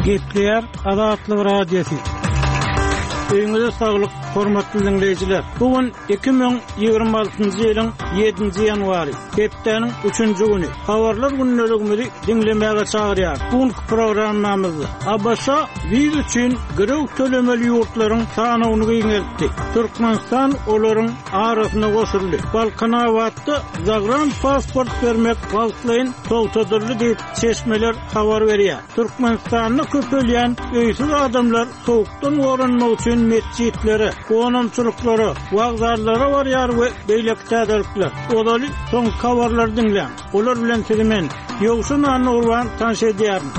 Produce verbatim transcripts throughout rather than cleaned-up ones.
Gepleýär Azatlyk Radiosy. Öýüňize saglyk, hormatly dinleýjiler. Bu gün iki müň ýigrimi altynjy ýylyň ýedinji ýanwary, hepdäniň üçünji güni. Habarlar gündeligimizi diňlemäge çagyrýar. Bu günki programmamyzda A B Ş wiza üçin girew tölemeli ýurtlaryň sanawyny giňeltdi. Türkmenistan olaryň arasyna goşuldy. Balkanabatda zagran pasport bermek wagtlaýyn togtadyldy diýip çeşmeler habar berýär. Türkmenistanda köpelýän öýsüz adamlar soğukdan goranmak üçin metjitlere, gonamçylyklara, wagzallara barýar we beýleki täzelikler. Ozaly soňky habarlary diňläň. Olar bilen sizi men Ýowşan Annagurban tanyş edýärin.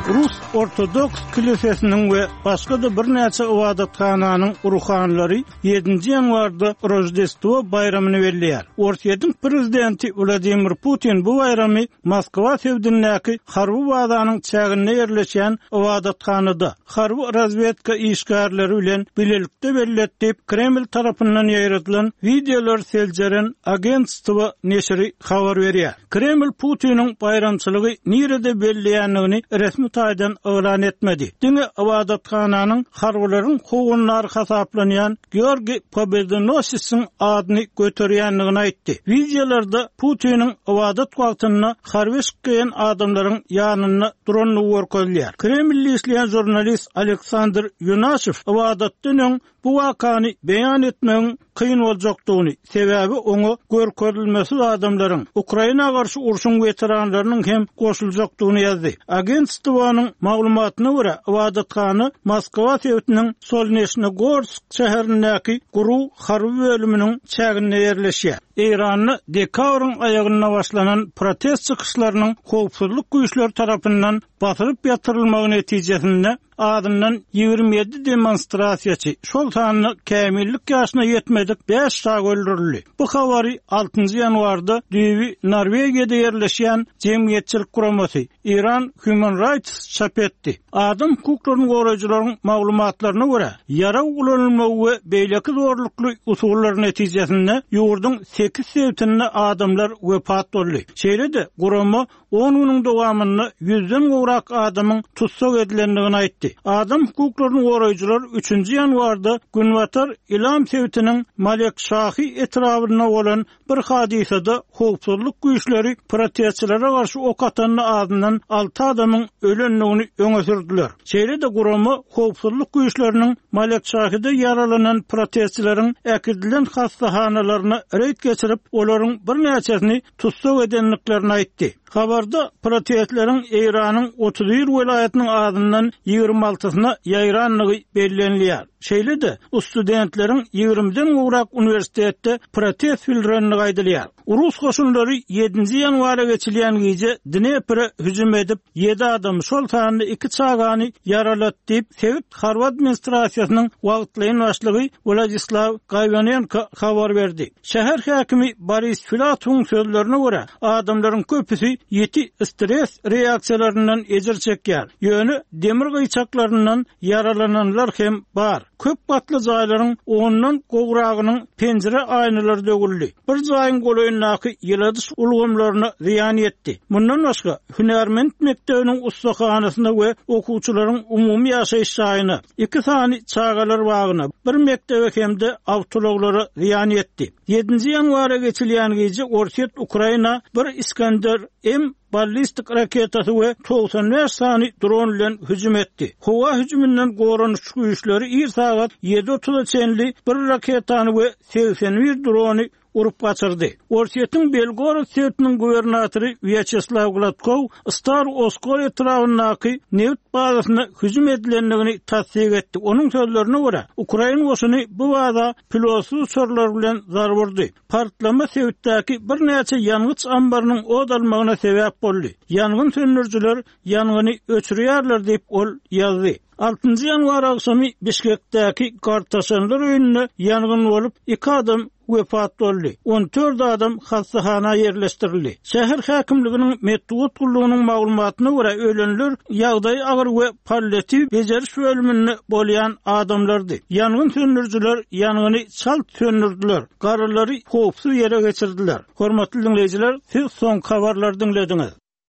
Rus Ortodoks kilisesiniň we başga-da birnäçe ybadathananyň ruhanlary ýedinji ýanwarda Roždestvo baýramyny belleýär. Orsýetiň prezidenti Wladimir Putin bu baýramy Moskwa sebitindäki harby bazanyň çäginde ýerleşen ybadathanada harby razwedka işgärleri bilen bilelikde belletdi diýip Kreml tarapyndan ýaýradylan wideolar seljeren agentstwo neşiri habar berýär. Kreml Putiniň baýramçylygy nirede belleýändigini resmi taýdan yglan etmedi. Diňe ybadathananyň harbylaryň howunlary hasaplanýan Georgi Pobedonosisiň adyny göterýändigini aýtdy. Wideolarda Putiniň ybadat wagtynda harby eşik geýen adamlaryň ýanynda durandygy görkezilýär. Kremlli işleýän žurnalist Aleksandr Ýunaşew ybadatdan öň bu wakany beýan etmegiň kyn boljakdygyny, sebäbi oňa görkezilmesiz adamlaryň Ukraina garşy urşuň weteranlarynyň hem goşuljakdygyny ýazdy. Agentstwonyň maglumatyna görä, ybadathana Moskwa sebitiniň Solneçnogorsk şäherindäki Guru harby bölüminiň çäginde ýerleşýär. Eýranda dekabryň aýagynda başlanan protest çykyşlarynyň howpsuzlyk güýçleri tarapyndan basylyp ýatyrylmagy netijesinde adından ýigrimi ýedi demonstrasiýaçy, şol sanda kämillik ýaşyna ýetmedik bäş çaga öldürildi. Bu habary altynjy ýanwarda düýbi Norwegiýada ýerleşýän jemgyýetçilik guramasy Iran Human Rights çap etdi. Adam hukuklaryny goraýjylaryň maglumatlaryna görä, ýarag ulanylmagy we beýleki zorlukly usullar netijesinde ýurduň sekiz sebitinde adamlar wepat boldy. Şeýle-de gurama on günüň dowamynda ýüzden gowrak adamyň tussag edilendigini aýtdy. Adam hukuklaryny goraýjylar üçünji ýanwarda Günbatar Ilam sebitiniň Malekşahi etrabynda bolan bir hadysada howpsuzlyk güýçleri protestçilere garşy ok atanda azyndan alty adamyň ölendigini öňe sürdüler. Şeýle-de gurama howpsuzlyk güýçleriniň Malekşahide ýaralanan protestçileriň äkidilen hastahanalaryna reýd geçirip, olaryň birnäçesini tussag edendiklerini aýtdy. Habarda protestleriň Eýranyň otuz bir welaýatynyň azyndan ýigrimi altysyna ýaýrandygy bellenilýär. Şeýle-de studentleriň ýigrimiden gowrak uniwersitetde protest bildirenligi aýdylýar. Rus goşunlary ýedinji ýanwara geçilýän gije Dnepre hüjüm edip, ýedi adam, şol sanda iki çagany ýaralat diýip, sebit harby administrasiýasynyň wagtlaýyn başlygy Wladislaw Gaywanenko habar berdi. Şäher häkimi Boris Filatowyň sözlerine görä, adamlaryň köpüsi ýiti stres reaksiýalaryndan ejir çekýär. Ýöne demir gyýçaklaryndan ýaralananlar hem bar. Köp gatly jaýlaryň ondan gowragynyň penjire aýnalary döwüldi. Bir jaýyň golaýyndaky ýyladyş ulgamlaryna zyýan ýetdi. Mundan başga hünärment mekdebiniň ustahanasyna we okuwçylaryň umumy ýaşaýyş jaýyna, iki sany çagalar bagyna, bir mekdebe hem-de awtoulaglara zyýan ýetdi. Ýedinji ýanwara geçilýän gije Orsýet Ukraina bir Iskander M ballistik raketasy we togsan bäş sany dron bilen hüjüm etdi. Howa hüjüminden goranyş güýçleri ir sagat ýedi otuza çenli bir raketany we segsen bir drony urup gaçyrdy. Orsýetiň Belgorod sebitiniň gubernatory Wyaçeslaw Gladkow Star Oskol etrabyndaky neft bazasyna hüjüm edilendigini tassyk etdi. Onuň sözlerine görä, Ukrain goşuny bu baza pilotsyz uçarlar bilen zarba urdy. Partlama sebitdäki birnäçe ýangyç ambarynyň od almagyna sebäp boldy. Ýangyn söndürüjiler ýangyny öçürýärler diýip ol ýazdy. Altynjy ýanwar agşamy Bişkekdäki Gartaşanlar öýünde ýangyn bolup, iki adam wepat boldy. On dört adam hastahana ýerleşdirildi. Şäher häkimliginiň metbugat gullugynyň maglumatyna görä, ölenler ýagdaýy agyr we palliatiw bejeriş bölüminde bolýan adamlardy. Ýangyn söndürüjiler ýangyny çalt söndürdüler. Garalary howpsuz ýere geçirdiler. Hormatly dinleýjiler, siz soňky habarlary diňlediňiz.